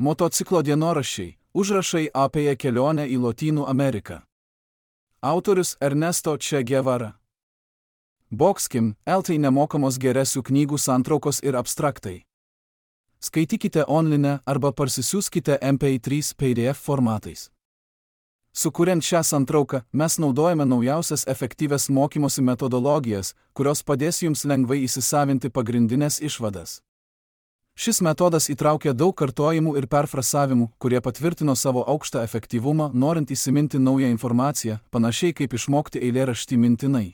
Motociklo dienoraščiai – užrašai apie kelionę į Lotynų Ameriką. Autorius Ernesto Che Guevara. Boxkim, LT nemokamos geresių knygų santraukos ir abstraktai. Skaitykite online arba parsisiųskite MP3 PDF formatais. Sukuriant šią santrauką, mes naudojame naujausias efektyvias mokymosi metodologijas, kurios padės jums lengvai įsisavinti pagrindinės išvadas. Šis metodas įtraukia daug kartojimų ir perfrasavimų, kurie patvirtino savo aukštą efektyvumą, norint įsiminti naują informaciją, panašiai kaip išmokti eilėraštį mintinai.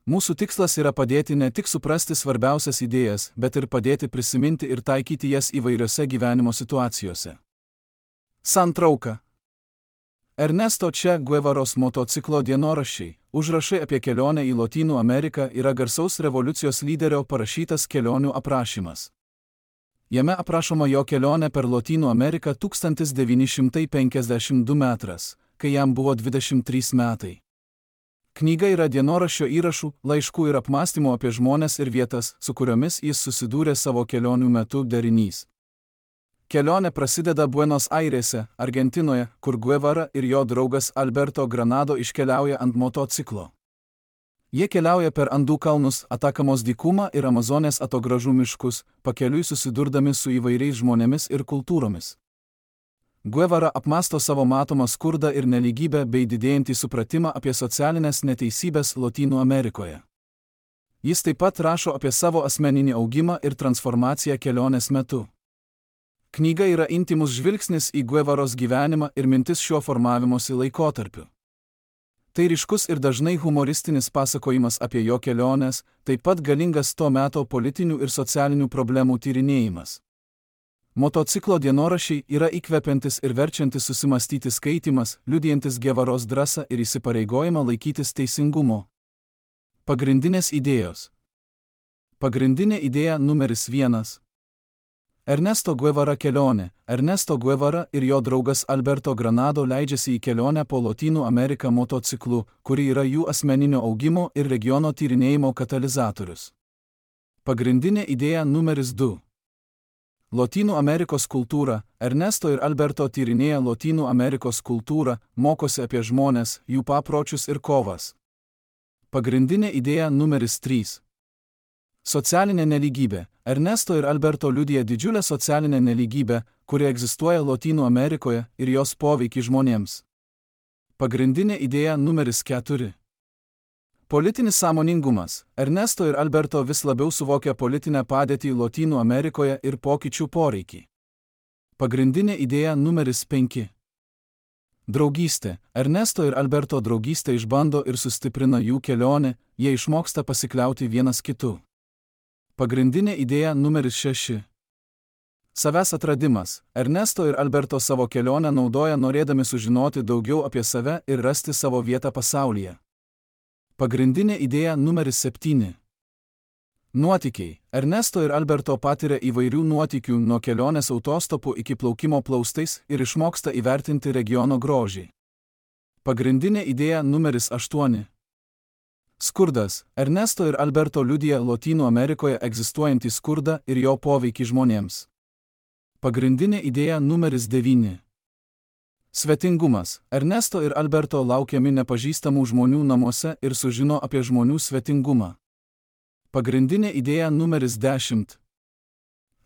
Mūsų tikslas yra padėti ne tik suprasti svarbiausias idėjas, bet ir padėti prisiminti ir taikyti jas įvairiose gyvenimo situacijose. Santrauka. Ernesto Che Guevaros motociklo dienoraščiai, užrašai apie kelionę į Lotynų Ameriką yra garsaus revoliucijos lyderio parašytas kelionių aprašymas. Jame aprašoma jo kelionė per Lotynų Ameriką 1952 metras, kai jam buvo 23 metai. Knyga yra dienoraščio įrašų, laiškų ir apmąstymų apie žmones ir vietas, su kuriomis jis susidūrė savo kelionių metu derinys. Kelionė prasideda Buenos Airėse, Argentinoje, kur Guevara ir jo draugas Alberto Granado iškeliauja ant motociklo. Jie keliauja per Andų kalnus, Atakamos dykumą ir Amazonės atogražų miškus, pakeliui susidurdami su įvairiais žmonėmis ir kultūromis. Guevara apmąsto savo matomą skurdą ir nelygybę bei didėjantį supratimą apie socialinės neteisybės Lotynų Amerikoje. Jis taip pat rašo apie savo asmeninį augimą ir transformaciją kelionės metu. Knyga yra intymus žvilgsnis į Guevaros gyvenimą ir mintis šiuo formavimosi laikotarpiu. Tai ryškus ir dažnai humoristinis pasakojimas apie jo keliones, taip pat galingas to meto politinių ir socialinių problemų tyrinėjimas. Motociklo dienoraščiai yra įkvepiantis ir verčiantis susimastyti skaitymas, liudijantis Guevaros drąsą ir įsipareigojimą laikytis teisingumo. Pagrindinės idėjos. Pagrindinė idėja numeris 1. Ernesto Guevara kelionė. Ernesto Guevara ir jo draugas Alberto Granado leidžiasi į kelionę po Lotynų Ameriką motociklu, kuri yra jų asmeninio augimo ir regiono tyrinėjimo katalizatorius. Pagrindinė idėja numeris 2. Lotynų Amerikos kultūra. Ernesto ir Alberto tyrinėja Lotynų Amerikos kultūrą, mokosi apie žmones, jų papročius ir kovas. Pagrindinė idėja numeris 3. Socialinė nelygybė. Ernesto ir Alberto liudija didžiulę socialinę nelygybę, kuri egzistuoja Lotynų Amerikoje ir jos poveikį žmonėms. Pagrindinė idėja numeris 4. Politinis sąmoningumas. Ernesto ir Alberto vis labiau suvokia politinę padėtį Lotynų Amerikoje ir pokyčių poreikį. Pagrindinė idėja numeris 5. Draugystė. Ernesto ir Alberto draugystė išbando ir sustiprina jų kelionę, jie išmoksta pasikliauti vienas kitu. Pagrindinė idėja numeris 6. Savęs atradimas. Ernesto ir Alberto savo kelionę naudoja norėdami sužinoti daugiau apie save ir rasti savo vietą pasaulyje. Pagrindinė idėja numeris 7. Nuotykiai. Ernesto ir Alberto patiria įvairių nuotykių nuo kelionės autostopu iki plaukimo plaustais ir išmoksta įvertinti regiono grožį. Pagrindinė idėja numeris 8. Skurdas. Ernesto ir Alberto liudija Lotynų Amerikoje egzistuojantį skurdą ir jo poveikį žmonėms. Pagrindinė idėja numeris 9. Svetingumas. Ernesto ir Alberto laukiami nepažįstamų žmonių namuose ir sužino apie žmonių svetingumą. Pagrindinė idėja numeris 10.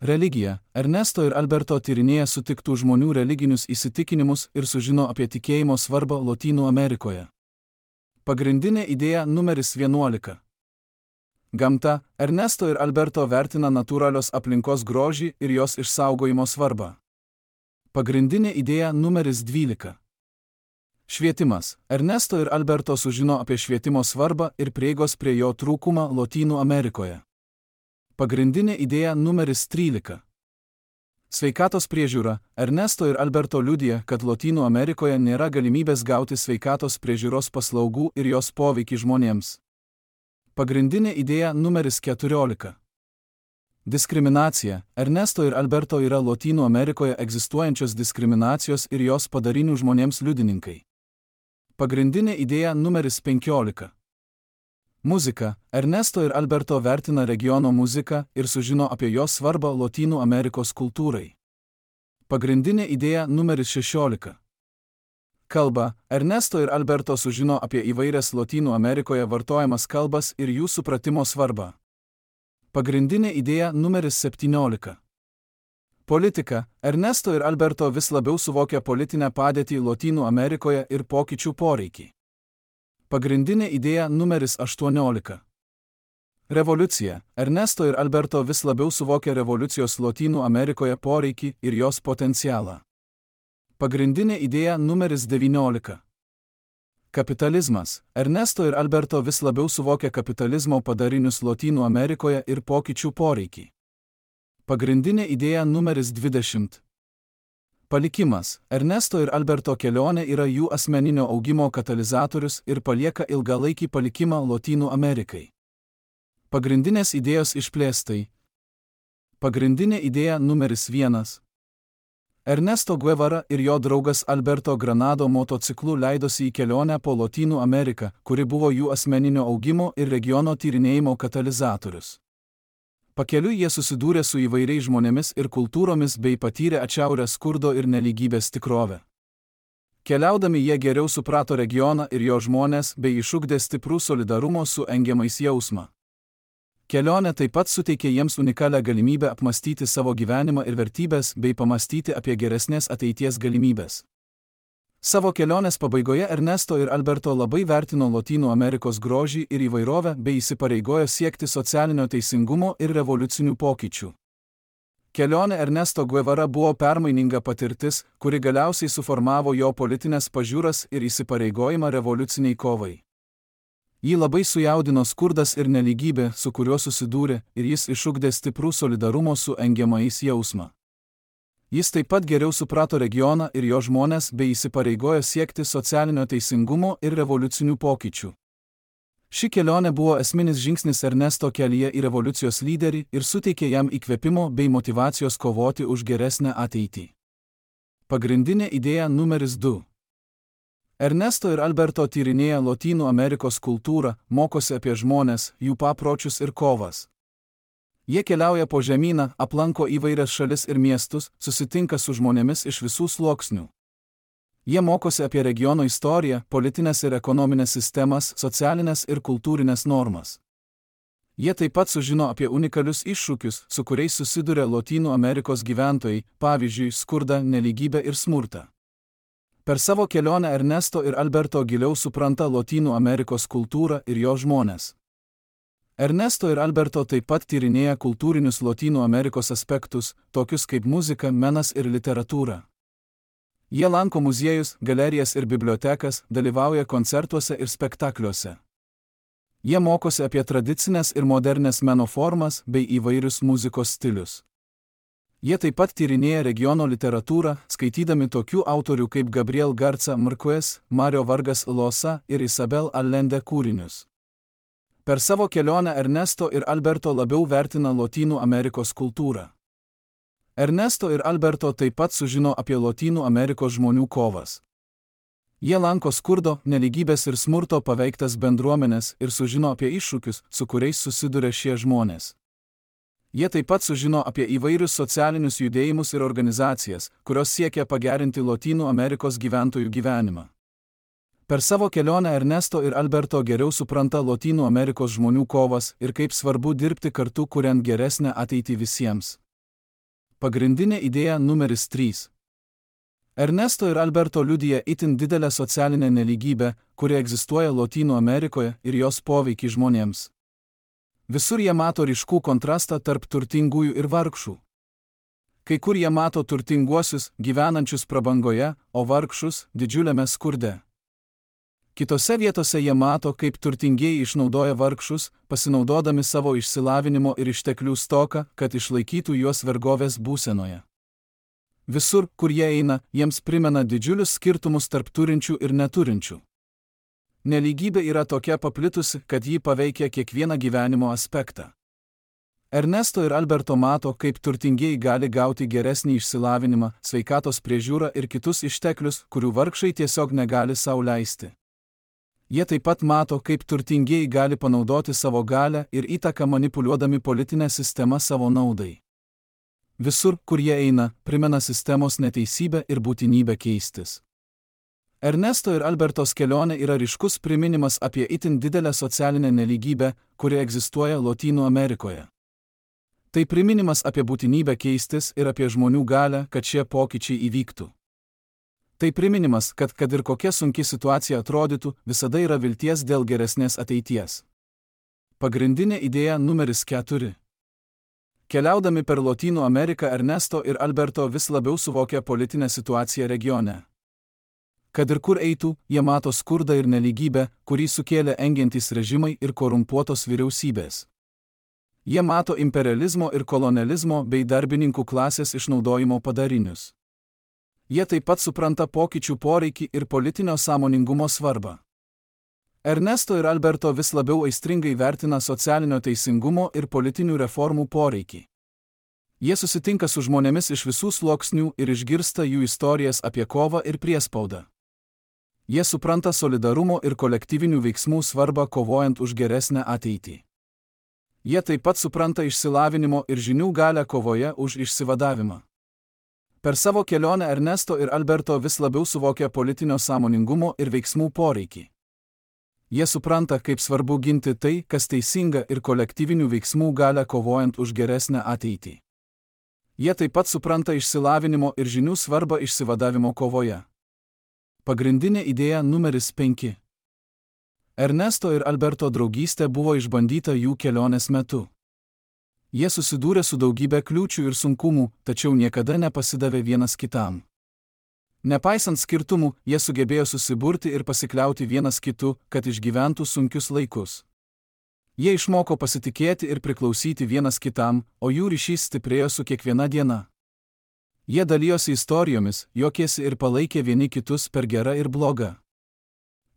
Religija. Ernesto ir Alberto tyrinėja sutiktų žmonių religinius įsitikinimus ir sužino apie tikėjimo svarbą Lotynų Amerikoje. Pagrindinė idėja numeris 11. Gamta. Ernesto ir Alberto vertina natūralios aplinkos grožį ir jos išsaugojimo svarbą. Pagrindinė idėja numeris 12. Švietimas. Ernesto ir Alberto sužino apie švietimo svarbą ir prieigos prie jo trūkumą Lotynų Amerikoje. Pagrindinė idėja numeris 13. Sveikatos priežiūra. Ernesto ir Alberto liudija, kad Lotynų Amerikoje nėra galimybės gauti sveikatos priežiūros paslaugų ir jos poveikį žmonėms. Pagrindinė idėja numeris 14. Diskriminacija. Ernesto ir Alberto yra Lotynų Amerikoje egzistuojančios diskriminacijos ir jos padarinių žmonėms liudininkai. Pagrindinė idėja numeris 15. Muzika. Ernesto ir Alberto vertina regiono muziką ir sužino apie jos svarbą Lotynų Amerikos kultūrai. Pagrindinė idėja numeris 16. Kalba. Ernesto ir Alberto sužino apie įvairias Lotynų Amerikoje vartojamas kalbas ir jų supratimo svarbą. Pagrindinė idėja numeris 17. Politika. Ernesto ir Alberto vis labiau suvokia politinę padėtį Lotynų Amerikoje ir pokyčių poreikį. Pagrindinė idėja numeris 18. Revoliucija. Ernesto ir Alberto vis labiau suvokia revoliucijos Lotynų Amerikoje poreikį ir jos potencialą. Pagrindinė idėja numeris 19. Kapitalizmas. Ernesto ir Alberto vis labiau suvokia kapitalizmo padarinius Lotynų Amerikoje ir pokyčių poreikį. Pagrindinė idėja numeris 20. Palikimas. Ernesto ir Alberto kelionė yra jų asmeninio augimo katalizatorius ir palieka ilgalaikį palikimą Lotynų Amerikai. Pagrindinės idėjos išplėstai. Pagrindinė idėja numeris 1. Ernesto Guevara ir jo draugas Alberto Granado motociklu leidosi į kelionę po Lotynų Ameriką, kuri buvo jų asmeninio augimo ir regiono tyrinėjimo katalizatorius. Pakeliui jie susidūrė su įvairiais žmonėmis ir kultūromis bei patyrė atšiaurę skurdo ir nelygybės tikrovę. Keliaudami jie geriau suprato regioną ir jo žmonės bei išugdė stiprų solidarumo su engiamais jausmą. Kelionė taip pat suteikė jiems unikalią galimybę apmastyti savo gyvenimą ir vertybės bei pamastyti apie geresnės ateities galimybės. Savo kelionės pabaigoje Ernesto ir Alberto labai vertino Lotynų Amerikos grožį ir įvairovę bei įsipareigojo siekti socialinio teisingumo ir revoliucinių pokyčių. Kelionė Ernesto Guevara buvo permaininga patirtis, kuri galiausiai suformavo jo politinės pažiūras ir įsipareigojimą revoliuciniai kovai. Jį labai sujaudino skurdas ir nelygybė, su kuriuo susidūrė, ir jis išugdė stiprų solidarumo su engiamais jausmą. Jis taip pat geriau suprato regioną ir jo žmonės bei įsipareigojo siekti socialinio teisingumo ir revoliucinių pokyčių. Ši kelionė buvo esminis žingsnis Ernesto kelyje į revoliucijos lyderį ir suteikė jam įkvėpimo bei motyvacijos kovoti už geresnę ateitį. Pagrindinė idėja numeris 2. Ernesto ir Alberto tyrinėja Lotynų Amerikos kultūrą, mokosi apie žmones, jų papročius ir kovas. Jie keliauja po žemyną, aplanko įvairias šalis ir miestus, susitinka su žmonėmis iš visų sluoksnių. Jie mokosi apie regiono istoriją, politinės ir ekonominės sistemas, socialinės ir kultūrinės normas. Jie taip pat sužino apie unikalius iššūkius, su kuriais susiduria Lotynų Amerikos gyventojai, pavyzdžiui, skurdą, nelygybę ir smurtą. Per savo kelionę Ernesto ir Alberto giliau supranta Lotynų Amerikos kultūrą ir jo žmonės. Ernesto ir Alberto taip pat tyrinėja kultūrinius Lotynų Amerikos aspektus, tokius kaip muzika, menas ir literatūra. Jie lanko muziejus, galerijas ir bibliotekas, dalyvauja koncertuose ir spektakliuose. Jie mokosi apie tradicinės ir modernes meno formas bei įvairius muzikos stilius. Jie taip pat tyrinėja regiono literatūrą, skaitydami tokių autorių kaip Gabriel Garza Marquez, Mario Vargas Llosa ir Isabel Allende kūrinius. Per savo kelionę Ernesto ir Alberto labiau vertina Lotynų Amerikos kultūrą. Ernesto ir Alberto taip pat sužino apie Lotynų Amerikos žmonių kovas. Jie lanko skurdo, nelygybės ir smurto paveiktas bendruomenės ir sužino apie iššūkius, su kuriais susiduria šie žmonės. Jie taip pat sužino apie įvairius socialinius judėjimus ir organizacijas, kurios siekia pagerinti Lotynų Amerikos gyventojų gyvenimą. Per savo kelionę Ernesto ir Alberto geriau supranta Lotynų Amerikos žmonių kovas ir kaip svarbu dirbti kartu kuriant geresnę ateitį visiems. Pagrindinė idėja numeris 3. Ernesto ir Alberto liudija itin didelę socialinę nelygybę, kuri egzistuoja Lotynų Amerikoje ir jos poveikį žmonėms. Visur jie mato ryškų kontrastą tarp turtingųjų ir vargšų. Kai kur jie mato turtinguosius, gyvenančius prabangoje, o vargšus didžiuliame skurde. Kitose vietose jie mato, kaip turtingieji išnaudoja vargšus, pasinaudodami savo išsilavinimo ir išteklių stoką, kad išlaikytų juos vergovės būsenoje. Visur, kur jie eina, jiems primena didžiulius skirtumus tarp turinčių ir neturinčių. Nelygybė yra tokia paplitusi, kad ji paveikia kiekvieną gyvenimo aspektą. Ernesto ir Alberto mato, kaip turtingieji gali gauti geresnį išsilavinimą, sveikatos priežiūrą ir kitus išteklius, kurių vargšai tiesiog negali sau leisti. Jie taip pat mato, kaip turtingieji gali panaudoti savo galią ir įtaką manipuliuodami politinę sistemą savo naudai. Visur, kur jie eina, primena sistemos neteisybę ir būtinybę keistis. Ernesto ir Albertos kelionė yra ryškus priminimas apie itin didelę socialinę nelygybę, kuri egzistuoja Lotynų Amerikoje. Tai priminimas apie būtinybę keistis ir apie žmonių galią, kad šie pokyčiai įvyktų. Tai priminimas, kad ir kokia sunki situacija atrodytų, visada yra vilties dėl geresnės ateities. Pagrindinė idėja numeris 4. Keliaudami per Lotynų Ameriką, Ernesto ir Alberto vis labiau suvokia politinę situaciją regione. Kad ir kur eitų, jie mato skurdą ir nelygybę, kurį sukėlė engiantys režimai ir korumpuotos vyriausybės. Jie mato imperializmo ir kolonializmo bei darbininkų klasės išnaudojimo padarinius. Jie taip pat supranta pokyčių poreikį ir politinio sąmoningumo svarbą. Ernesto ir Alberto vis labiau aistringai vertina socialinio teisingumo ir politinių reformų poreikį. Jie susitinka su žmonėmis iš visų sluoksnių ir išgirsta jų istorijas apie kovą ir priespaudą. Jie supranta solidarumo ir kolektyvinių veiksmų svarbą kovojant už geresnę ateitį. Jie taip pat supranta išsilavinimo ir žinių galią kovoje už išsivadavimą. Per savo kelionę Ernesto ir Alberto vis labiau suvokia politinio sąmoningumo ir veiksmų poreikį. Jie supranta, kaip svarbu ginti tai, kas teisinga ir kolektyvinių veiksmų galią kovojant už geresnę ateitį. Jie taip pat supranta išsilavinimo ir žinių svarbą išsivadavimo kovoje. Pagrindinė idėja numeris 5. Ernesto ir Alberto draugystė buvo išbandyta jų kelionės metu. Jie susidūrė su daugybė kliūčių ir sunkumų, tačiau niekada nepasidavė vienas kitam. Nepaisant skirtumų, jie sugebėjo susiburti ir pasikliauti vienas kitu, kad išgyventų sunkius laikus. Jie išmoko pasitikėti ir priklausyti vienas kitam, o jų ryšys stiprėjo su kiekviena diena. Jie dalijosi istorijomis, juokėsi ir palaikė vieni kitus per gerą ir blogą.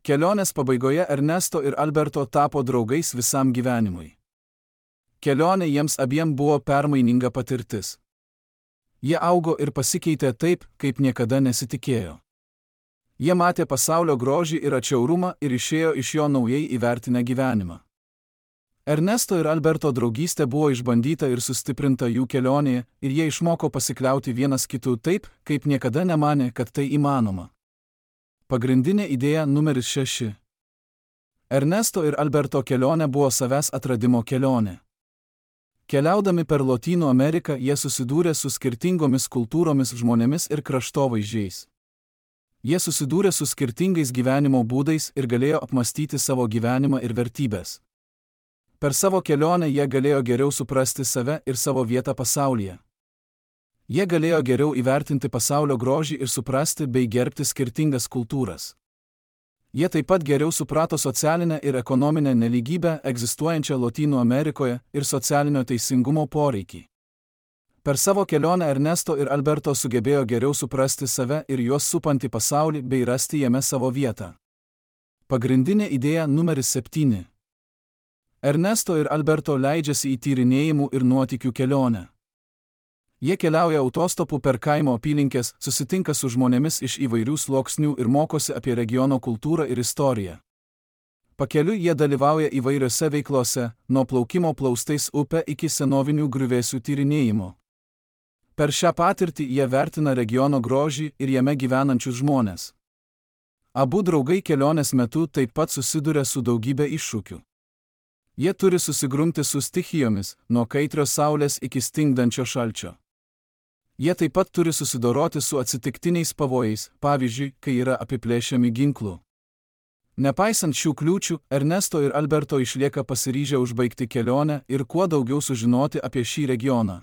Kelionės pabaigoje Ernesto ir Alberto tapo draugais visam gyvenimui. Kelionė jiems abiem buvo permaininga patirtis. Jie augo ir pasikeitė taip, kaip niekada nesitikėjo. Jie matė pasaulio grožį ir atšiaurumą ir išėjo iš jo naujai įvertinę gyvenimą. Ernesto ir Alberto draugystė buvo išbandyta ir sustiprinta jų kelionėje ir jie išmoko pasikliauti vienas kitu taip, kaip niekada nemanė, kad tai įmanoma. Pagrindinė idėja numeris 6. Ernesto ir Alberto kelionė buvo savęs atradimo kelionė. Keliaudami per Lotynų Ameriką, jie susidūrė su skirtingomis kultūromis, žmonėmis ir kraštovaizdžiais. Jie susidūrė su skirtingais gyvenimo būdais ir galėjo apmastyti savo gyvenimą ir vertybės. Per savo kelionę jie galėjo geriau suprasti save ir savo vietą pasaulyje. Jie galėjo geriau įvertinti pasaulio grožį ir suprasti bei gerbti skirtingas kultūras. Jie taip pat geriau suprato socialinę ir ekonominę nelygybę egzistuojančią Lotynų Amerikoje ir socialinio teisingumo poreikį. Per savo kelionę Ernesto ir Alberto sugebėjo geriau suprasti save ir juos supantį pasaulį bei rasti jame savo vietą. Pagrindinė idėja numeris 7. Ernesto ir Alberto leidžiasi į tyrinėjimų ir nuotykių kelionę. Jie keliauja autostopu per kaimo apylinkes, susitinka su žmonėmis iš įvairių sluoksnių ir mokosi apie regiono kultūrą ir istoriją. Pakeliui jie dalyvauja įvairiose veiklose, nuo plaukimo plaustais upe iki senovinių griuvėsių tyrinėjimo. Per šią patirtį jie vertina regiono grožį ir jame gyvenančius žmones. Abu draugai kelionės metu taip pat susiduria su daugybė iššūkių. Jie turi susigrumti su stichijomis, nuo kaitrios saulės iki stingdančio šalčio. Jie taip pat turi susidoroti su atsitiktiniais pavojais, pavyzdžiui, kai yra apiplėšiami ginklų. Nepaisant šių kliūčių, Ernesto ir Alberto išlieka pasiryžę užbaigti kelionę ir kuo daugiau sužinoti apie šį regioną.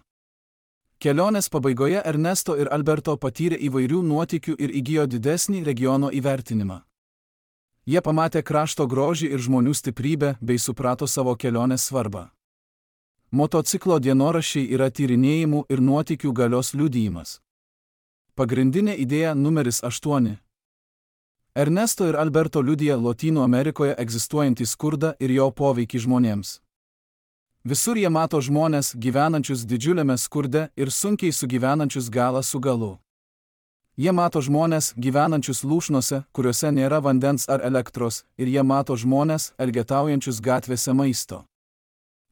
Kelionės pabaigoje Ernesto ir Alberto patyrė įvairių nuotykių ir įgijo didesnį regiono įvertinimą. Jie pamatė krašto grožį ir žmonių stiprybę bei suprato savo kelionės svarbą. Motociklo dienoraščiai yra tyrinėjimų ir nuotykių galios liudijimas. Pagrindinė idėja numeris 8. Ernesto ir Alberto liudija Lotynų Amerikoje egzistuojantį skurdą ir jo poveikį žmonėms. Visur jie mato žmonės gyvenančius didžiuliame skurde ir sunkiai sugyvenančius galą su galu. Jie mato žmonės gyvenančius lūšnose, kuriuose nėra vandens ar elektros, ir jie mato žmonės elgetaujančius gatvėse maisto.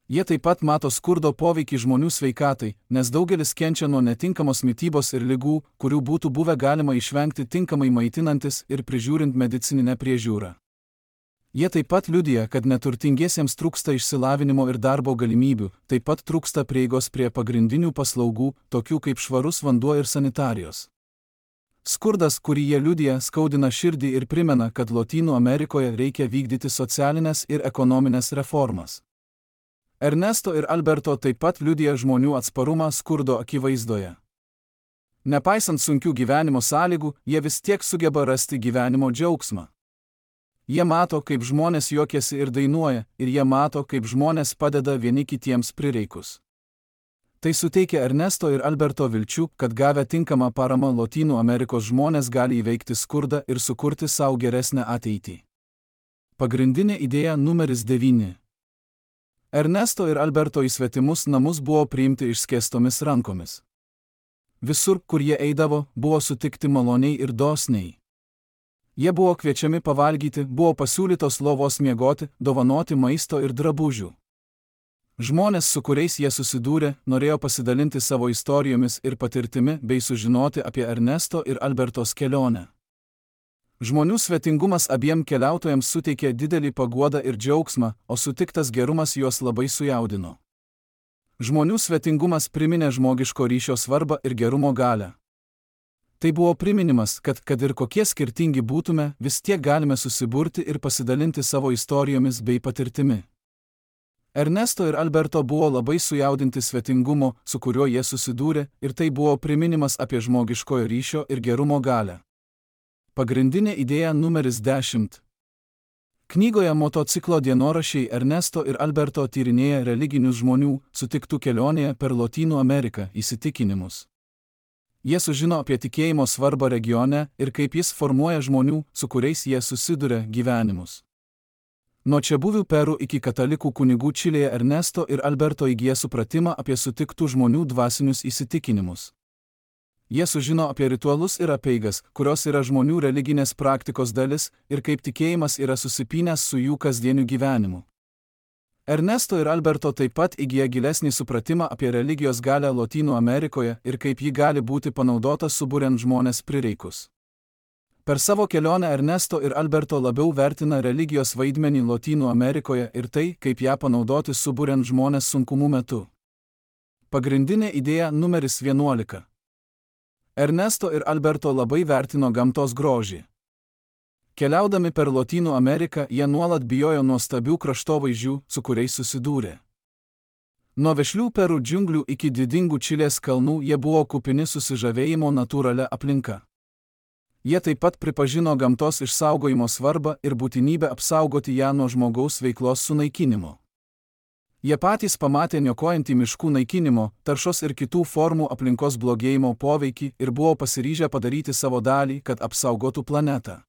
Jie taip pat mato skurdo poveikį žmonių sveikatai, nes daugelis kenčia nuo netinkamos mitybos ir ligų, kurių būtų buvę galima išvengti tinkamai maitinantis ir prižiūrint medicininę priežiūrą. Jie taip pat liudija, kad neturtingiesiems trūksta išsilavinimo ir darbo galimybių, taip pat trūksta prieigos prie pagrindinių paslaugų, tokių kaip švarus vanduo ir sanitarijos. Skurdas, kurį jie liudija, skaudina širdį ir primena, kad Lotynų Amerikoje reikia vykdyti socialinės ir ekonominės reformas. Ernesto ir Alberto taip pat liudija žmonių atsparumą skurdo akivaizdoje. Nepaisant sunkių gyvenimo sąlygų, jie vis tiek sugeba rasti gyvenimo džiaugsmą. Jie mato, kaip žmonės juokiasi ir dainuoja, ir jie mato, kaip žmonės padeda vieni kitiems prireikus. Tai suteikia Ernesto ir Alberto vilčių, kad gavę tinkamą paramą Lotynų Amerikos žmonės gali įveikti skurdą ir sukurti savo geresnę ateitį. Pagrindinė idėja numeris 9. Ernesto ir Alberto į svetimus namus buvo priimti išskėstomis rankomis. Visur, kur jie eidavo, buvo sutikti maloniai ir dosniai. Jie buvo kviečiami pavalgyti, buvo pasiūlytos lovos miegoti, dovanoti maisto ir drabužių. Žmonės, su kuriais jie susidūrė, norėjo pasidalinti savo istorijomis ir patirtimi bei sužinoti apie Ernesto ir Albertos kelionę. Žmonių svetingumas abiem keliautojams suteikė didelį paguodą ir džiaugsmą, o sutiktas gerumas juos labai sujaudino. Žmonių svetingumas priminė žmogiško ryšio svarbą ir gerumo galią. Tai buvo priminimas, kad ir kokie skirtingi būtume, vis tiek galime susiburti ir pasidalinti savo istorijomis bei patirtimi. Ernesto ir Alberto buvo labai sujaudinti svetingumo, su kuriuo jie susidūrė, ir tai buvo priminimas apie žmogiškojo ryšio ir gerumo galią. Pagrindinė idėja numeris 10. Knygoje Motociklo dienoraščiai Ernesto ir Alberto tyrinėja religinius žmonių, sutiktų kelionėje per Lotynų Ameriką, įsitikinimus. Jie sužino apie tikėjimo svarbą regione ir kaip jis formuoja žmonių, su kuriais jie susiduria, gyvenimus. Nuo čiabuvių Peru iki katalikų kunigų Čilėje Ernesto ir Alberto įgyja supratimą apie sutiktų žmonių dvasinius įsitikinimus. Jie sužino apie ritualus ir apeigas, kurios yra žmonių religinės praktikos dalis, ir kaip tikėjimas yra susipynęs su jų kasdieniu gyvenimu. Ernesto ir Alberto taip pat įgyja gilesnį supratimą apie religijos galią Lotynų Amerikoje ir kaip ji gali būti panaudota suburiant žmonės prireikus. Per savo kelionę Ernesto ir Alberto labiau vertina religijos vaidmenį Lotynų Amerikoje ir tai, kaip ją panaudoti suburiant žmonės sunkumų metu. Pagrindinė idėja numeris 11. Ernesto ir Alberto labai vertino gamtos grožį. Keliaudami per Lotynų Ameriką, jie nuolat bijojo nuostabių kraštovaizdžių, su kuriais susidūrė. Nuo vešlių Peru džiunglių iki didingų Čilės kalnų jie buvo kupini susižavėjimo natūralia aplinka. Jie taip pat pripažino gamtos išsaugojimo svarbą ir būtinybę apsaugoti ją nuo žmogaus veiklos sunaikinimo. Jie patys pamatė niokojantį miškų naikinimo, taršos ir kitų formų aplinkos blogėjimo poveikį ir buvo pasiryžę padaryti savo dalį, kad apsaugotų planetą.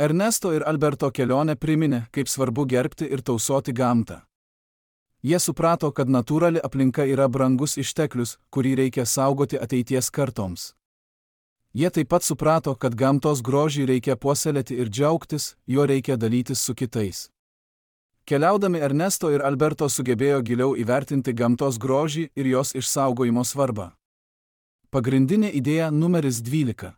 Ernesto ir Alberto kelionė priminė, kaip svarbu gerbti ir tausoti gamtą. Jie suprato, kad natūrali aplinka yra brangus išteklius, kurį reikia saugoti ateities kartoms. Jie taip pat suprato, kad gamtos grožį reikia puoselėti ir džiaugtis, juo reikia dalytis su kitais. Keliaudami Ernesto ir Alberto sugebėjo giliau įvertinti gamtos grožį ir jos išsaugojimo svarbą. Pagrindinė idėja numeris 12.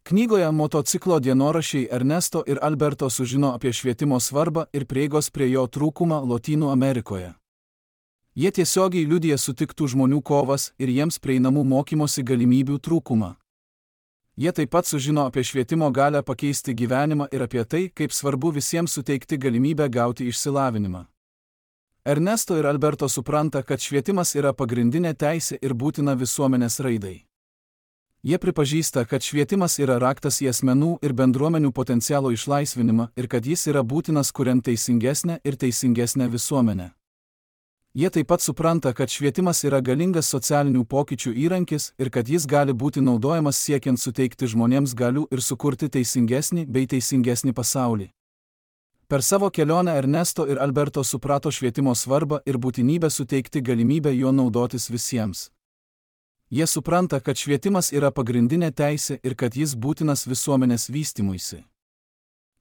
Knygoje Motociklo dienoraščiai Ernesto ir Alberto sužino apie švietimo svarbą ir prieigos prie jo trūkumą Lotynų Amerikoje. Jie tiesiogiai liudija sutiktų žmonių kovas ir jiems prieinamų mokymosi galimybių trūkumą. Jie taip pat sužino apie švietimo galią pakeisti gyvenimą ir apie tai, kaip svarbu visiems suteikti galimybę gauti išsilavinimą. Ernesto ir Alberto supranta, kad švietimas yra pagrindinė teisė ir būtina visuomenės raidai. Jie pripažįsta, kad švietimas yra raktas į asmenų ir bendruomenių potencialo išlaisvinimą ir kad jis yra būtinas kuriant teisingesnę ir teisingesnę visuomenę. Jie taip pat supranta, kad švietimas yra galingas socialinių pokyčių įrankis ir kad jis gali būti naudojamas siekiant suteikti žmonėms galių ir sukurti teisingesnį bei teisingesnį pasaulį. Per savo kelionę Ernesto ir Alberto suprato švietimo svarbą ir būtinybę suteikti galimybę juo naudotis visiems. Jie supranta, kad švietimas yra pagrindinė teisė ir kad jis būtinas visuomenės vystymuisi.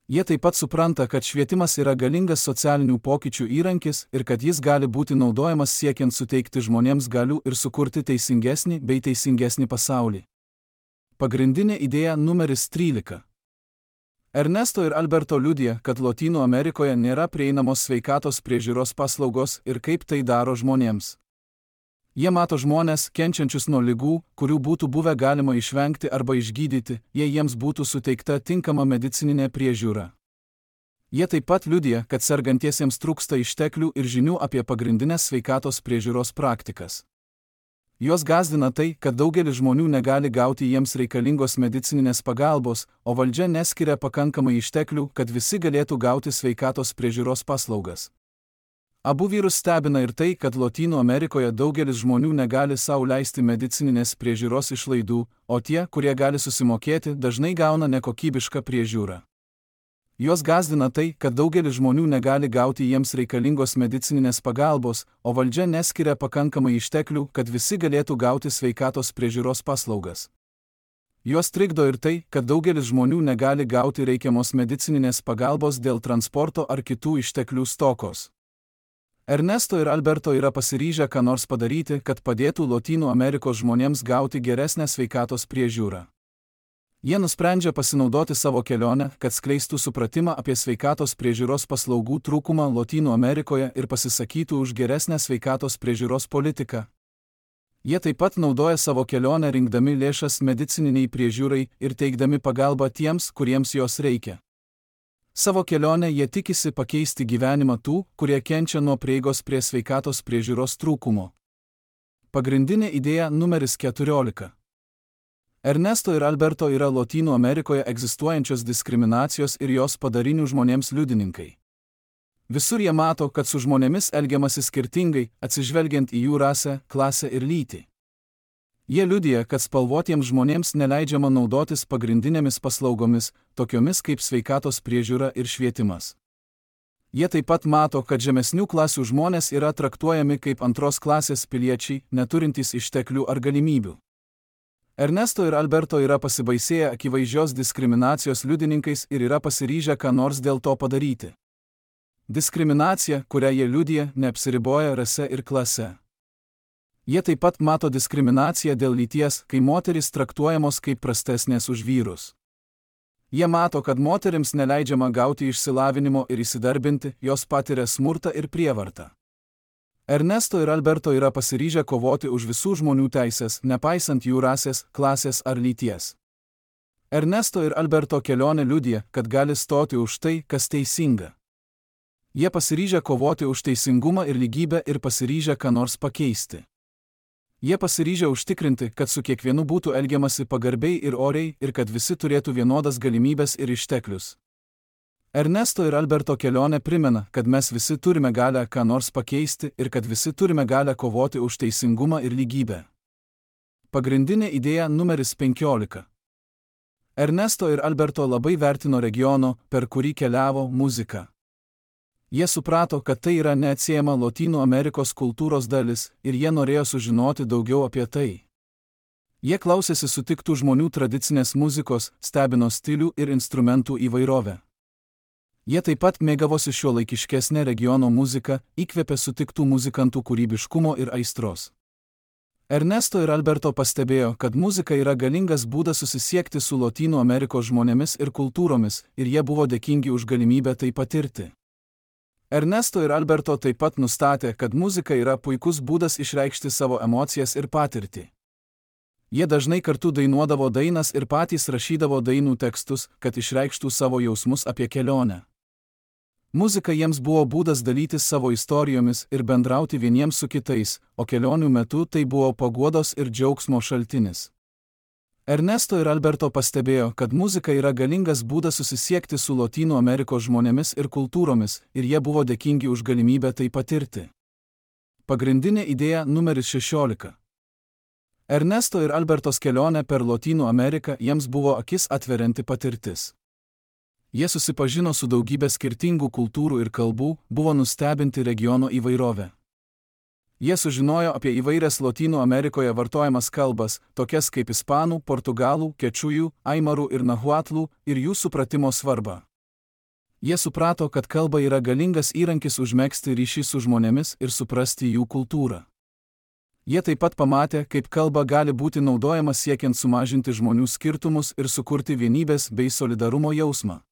Jie taip pat supranta, kad švietimas yra galingas socialinių pokyčių įrankis ir kad jis gali būti naudojamas siekiant suteikti žmonėms galių ir sukurti teisingesnį pasaulį. Pagrindinė idėja numeris 13. Ernesto ir Alberto liudija, kad Lotynų Amerikoje nėra prieinamos sveikatos priežiūros paslaugos ir kaip tai daro žmonėms. Jie mato žmonės, kenčiančius nuo ligų, kurių būtų buvę galima išvengti arba išgydyti, jei jiems būtų suteikta tinkama medicininė priežiūra. Jie taip pat liudija, kad sergantiesiems trūksta išteklių ir žinių apie pagrindinės sveikatos priežiūros praktikas. Juos gąsdina tai, kad daugelis žmonių negali gauti jiems reikalingos medicininės pagalbos, o valdžia neskiria pakankamai išteklių, kad visi galėtų gauti sveikatos priežiūros paslaugas. Abu vyrus stebina ir tai, kad Lotynų Amerikoje daugelis žmonių negali sau leisti medicininės priežiūros išlaidų, o tie, kurie gali susimokėti, dažnai gauna nekokybišką priežiūrą. Juos gąsdina tai, kad daugelis žmonių negali gauti jiems reikalingos medicininės pagalbos, o valdžia neskiria pakankamai išteklių, kad visi galėtų gauti sveikatos priežiūros paslaugas. Juos trikdo ir tai, kad daugelis žmonių negali gauti reikiamos medicininės pagalbos dėl transporto ar kitų išteklių stokos. Ernesto ir Alberto yra pasiryžę ką nors padaryti, kad padėtų Lotynų Amerikos žmonėms gauti geresnę sveikatos priežiūrą. Jie nusprendžia pasinaudoti savo kelionę, kad skleistų supratimą apie sveikatos priežiūros paslaugų trūkumą Lotynų Amerikoje ir pasisakytų už geresnę sveikatos priežiūros politiką. Jie taip pat naudoja savo kelionę rinkdami lėšas medicininiai priežiūrai ir teikdami pagalbą tiems, kuriems jos reikia. Savo kelionę jie tikisi pakeisti gyvenimą tų, kurie kenčia nuo prieigos prie sveikatos priežiūros trūkumo. Pagrindinė idėja numeris 14. Ernesto ir Alberto yra Lotynų Amerikoje egzistuojančios diskriminacijos ir jos padarinių žmonėms liudininkai. Visur jie mato, kad su žmonėmis elgiamasi skirtingai, atsižvelgiant į jų rasę, klasę ir lytį. Jie liudija, kad spalvotiems žmonėms neleidžiama naudotis pagrindinėmis paslaugomis, tokiomis kaip sveikatos priežiūra ir švietimas. Jie taip pat mato, kad žemesnių klasių žmonės yra traktuojami kaip antros klasės piliečiai, neturintys išteklių ar galimybių. Ernesto ir Alberto yra pasibaisėję akivaizdžios diskriminacijos liudininkais ir yra pasiryžę ką nors dėl to padaryti. Diskriminacija, kurią jie liudija, neapsiriboja rase ir klase. Jie taip pat mato diskriminaciją dėl lyties, kai moterys traktuojamos kaip prastesnės už vyrus. Jie mato, kad moterims neleidžiama gauti išsilavinimo ir įsidarbinti, jos patiria smurtą ir prievartą. Ernesto ir Alberto yra pasiryžę kovoti už visų žmonių teisės, nepaisant jų rasės, klasės ar lyties. Ernesto ir Alberto kelionė liudija, kad gali stoti už tai, kas teisinga. Jie pasiryžę kovoti už teisingumą ir lygybę ir pasiryžę ką nors pakeisti. Jie pasiryžę užtikrinti, kad su kiekvienu būtų elgiamasi pagarbiai ir oriai ir kad visi turėtų vienodas galimybės ir išteklius. Ernesto ir Alberto kelionė primena, kad mes visi turime galią ką nors pakeisti ir kad visi turime galią kovoti už teisingumą ir lygybę. Pagrindinė idėja numeris 15. Ernesto ir Alberto labai vertino regiono, per kurį keliavo, muziką. Jie suprato, kad tai yra neatsiejama Lotynų Amerikos kultūros dalis ir jie norėjo sužinoti daugiau apie tai. Jie klausėsi sutiktų žmonių tradicinės muzikos, stebino stilių ir instrumentų įvairovę. Jie taip pat mėgavosi šiuolaikiškesnę regiono muziką, įkvėpė sutiktų muzikantų kūrybiškumo ir aistros. Ernesto ir Alberto pastebėjo, kad muzika yra galingas būdas susisiekti su Lotynų Amerikos žmonėmis ir kultūromis ir jie buvo dėkingi už galimybę tai patirti. Ernesto ir Alberto taip pat nustatė, kad muzika yra puikus būdas išreikšti savo emocijas ir patirtį. Jie dažnai kartu dainuodavo dainas ir patys rašydavo dainų tekstus, kad išreikštų savo jausmus apie kelionę. Muzika jiems buvo būdas dalytis savo istorijomis ir bendrauti vieniems su kitais, o kelionių metu tai buvo paguodos ir džiaugsmo šaltinis. Ernesto ir Alberto pastebėjo, kad muzika yra galingas būdas susisiekti su Lotynų Amerikos žmonėmis ir kultūromis, ir jie buvo dėkingi už galimybę tai patirti. Pagrindinė idėja numeris 16. Ernesto ir Albertos kelionė per Lotynų Ameriką jiems buvo akis atverianti patirtis. Jie susipažino su daugybė skirtingų kultūrų ir kalbų, buvo nustebinti regiono įvairovę. Jie sužinojo apie įvairias Lotynų Amerikoje vartojamas kalbas, tokias kaip ispanų, portugalų, kečujų, aimarų ir nahuatlų, ir jų supratimo svarbą. Jie suprato, kad kalba yra galingas įrankis užmegzti ryšį su žmonėmis ir suprasti jų kultūrą. Jie taip pat pamatė, kaip kalba gali būti naudojama siekiant sumažinti žmonių skirtumus ir sukurti vienybės bei solidarumo jausmą.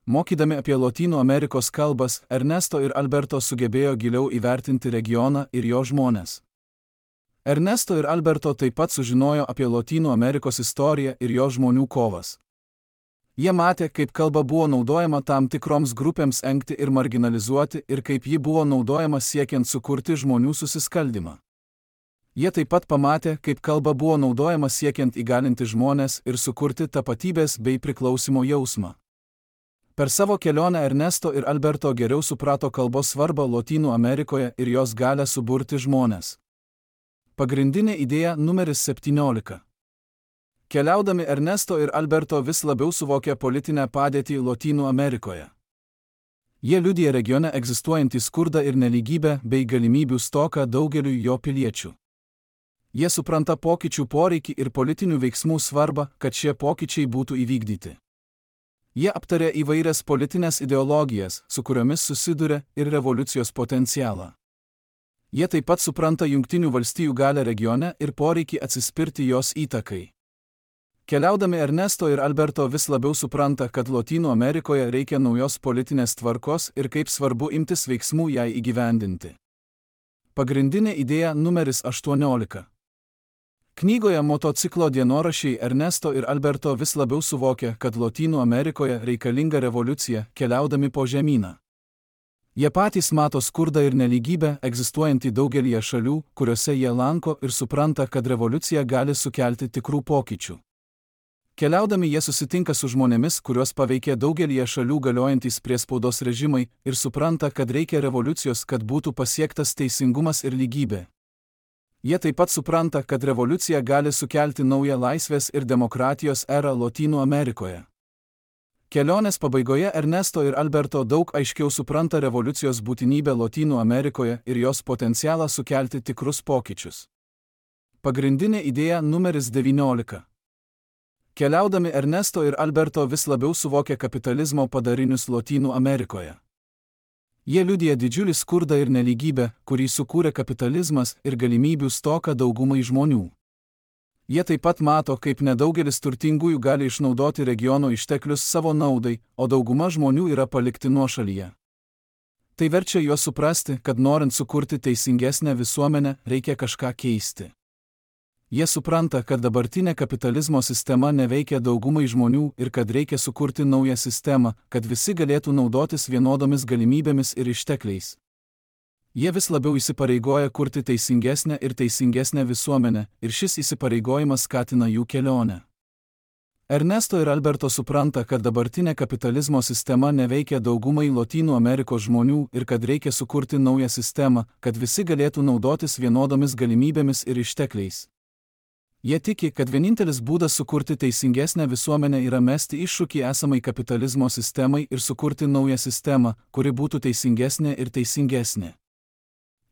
Mokydami apie Lotynų Amerikos kalbas, Ernesto ir Alberto sugebėjo giliau įvertinti regioną ir jo žmones. Ernesto ir Alberto taip pat sužinojo apie Lotynų Amerikos istoriją ir jo žmonių kovas. Jie matė, kaip kalba buvo naudojama tam tikroms grupėms engti ir marginalizuoti ir kaip ji buvo naudojama siekiant sukurti žmonių susiskaldymą. Jie taip pat pamatė, kaip kalba buvo naudojama siekiant įgalinti žmones ir sukurti tapatybės bei priklausimo jausmą. Per savo kelionę Ernesto ir Alberto geriau suprato kalbos svarbą Lotynų Amerikoje ir jos galią suburti žmones. Pagrindinė idėja numeris 17. Keliaudami Ernesto ir Alberto vis labiau suvokė politinę padėtį Lotynų Amerikoje. Jie liudija regione egzistuojantį skurdą ir nelygybę bei galimybių stoką daugeliui jo piliečių. Jie supranta pokyčių poreikį ir politinių veiksmų svarbą, kad šie pokyčiai būtų įvykdyti. Jie aptarė įvairias politinės ideologijas, su kuriomis susiduria, ir revoliucijos potencialą. Jie taip pat supranta Jungtinių valstijų galią regione ir poreikį atsispirti jos įtakai. Keliaudami Ernesto ir Alberto vis labiau supranta, kad Lotynų Amerikoje reikia naujos politinės tvarkos ir kaip svarbu imtis veiksmų jai įgyvendinti. Pagrindinė idėja numeris 18. Knygoje Motociklo dienoraščiai Ernesto ir Alberto vis labiau suvokė, kad Lotynų Amerikoje reikalinga revoliucija, keliaudami po žemyną. Jie patys mato skurdą ir nelygybę egzistuojantį daugelyje šalių, kuriuose jie lanko ir supranta, kad revoliucija gali sukelti tikrų pokyčių. Keliaudami jie susitinka su žmonėmis, kuriuos paveikė daugelyje šalių galiojantys priespaudos režimai ir supranta, kad reikia revoliucijos, kad būtų pasiektas teisingumas ir lygybė. Jie taip pat supranta, kad revoliucija gali sukelti naują laisvės ir demokratijos erą Lotynų Amerikoje. Kelionės pabaigoje Ernesto ir Alberto daug aiškiau supranta revoliucijos būtinybę Lotynų Amerikoje ir jos potencialą sukelti tikrus pokyčius. Pagrindinė idėja numeris 19. Keliaudami Ernesto ir Alberto vis labiau suvokė kapitalizmo padarinius Lotynų Amerikoje. Jie liudija didžiulį skurdą ir nelygybę, kurį sukūrė kapitalizmas ir galimybių stoką daugumai žmonių. Jie taip pat mato, kaip nedaugelis turtingųjų gali išnaudoti regiono išteklius savo naudai, o dauguma žmonių yra palikti nuošalyje. Tai verčia juos suprasti, kad norint sukurti teisingesnę visuomenę, reikia kažką keisti. Jie supranta, kad dabartinė kapitalizmo sistema neveikia daugumai žmonių ir kad reikia sukurti naują sistemą, kad visi galėtų naudotis vienodomis galimybėmis ir ištekliais. Jie vis labiau įsipareigoja kurti teisingesnę visuomenę ir šis įsipareigojimas skatina jų kelionę. Ernesto ir Alberto supranta, kad dabartinė kapitalizmo sistema neveikia daugumai Lotynų Amerikos žmonių ir kad reikia sukurti naują sistemą, kad visi galėtų naudotis vienodomis galimybėmis ir ištekliais. Jie tiki, kad vienintelis būdas sukurti teisingesnę visuomenę yra mesti iššūkį esamai kapitalizmo sistemai ir sukurti naują sistemą, kuri būtų teisingesnė ir teisingesnė.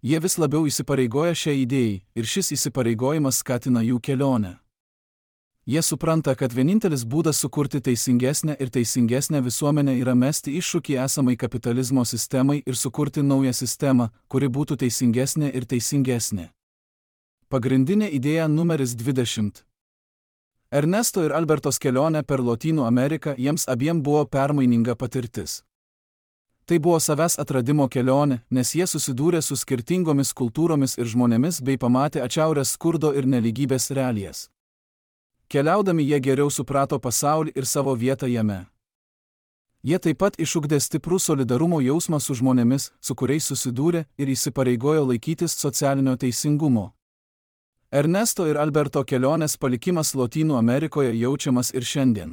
Jie vis labiau įsipareigoja šiai idėjai ir šis įsipareigojimas skatina jų kelionę. Jie supranta, kad vienintelis būdas sukurti teisingesnę visuomenę yra mesti iššūkį esamai kapitalizmo sistemai ir sukurti naują sistemą, kuri būtų teisingesnė ir teisingesnė. Pagrindinė idėja numeris 20. Ernesto ir Albertos kelionė per Lotynų Ameriką jiems abiem buvo permaininga patirtis. Tai buvo savęs atradimo kelionė, nes jie susidūrė su skirtingomis kultūromis ir žmonėmis bei pamatė atšiaurias skurdo ir nelygybės realijas. Keliaudami jie geriau suprato pasaulį ir savo vietą jame. Jie taip pat išugdė stiprų solidarumo jausmą su žmonėmis, su kuriais susidūrė ir įsipareigojo laikytis socialinio teisingumo. Ernesto ir Alberto kelionės palikimas Lotynų Amerikoje jaučiamas ir šiandien.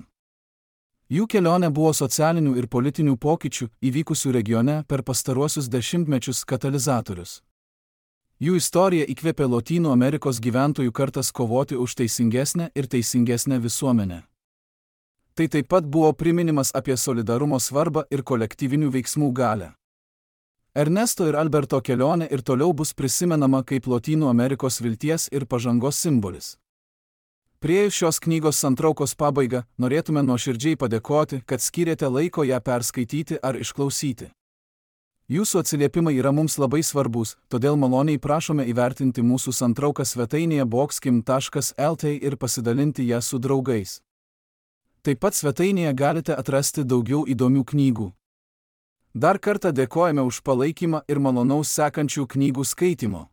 Jų kelionė buvo socialinių ir politinių pokyčių, įvykusių regione per pastaruosius dešimtmečius katalizatorius. Jų istorija įkvėpė Lotynų Amerikos gyventojų kartas kovoti už teisingesnę visuomenę. Tai taip pat buvo priminimas apie solidarumo svarbą ir kolektyvinių veiksmų galią. Ernesto ir Alberto kelionė ir toliau bus prisimenama kaip Lotynų Amerikos vilties ir pažangos simbolis. Priėjus šios knygos santraukos pabaigą, norėtume nuoširdžiai padėkoti, kad skyrėte laiko ją perskaityti ar išklausyti. Jūsų atsiliepimai yra mums labai svarbus, todėl maloniai prašome įvertinti mūsų santrauką svetainėje boxkim.lt ir pasidalinti ją su draugais. Taip pat svetainėje galite atrasti daugiau įdomių knygų. Dar kartą dėkojame už palaikymą ir malonaus sekančių knygų skaitymo.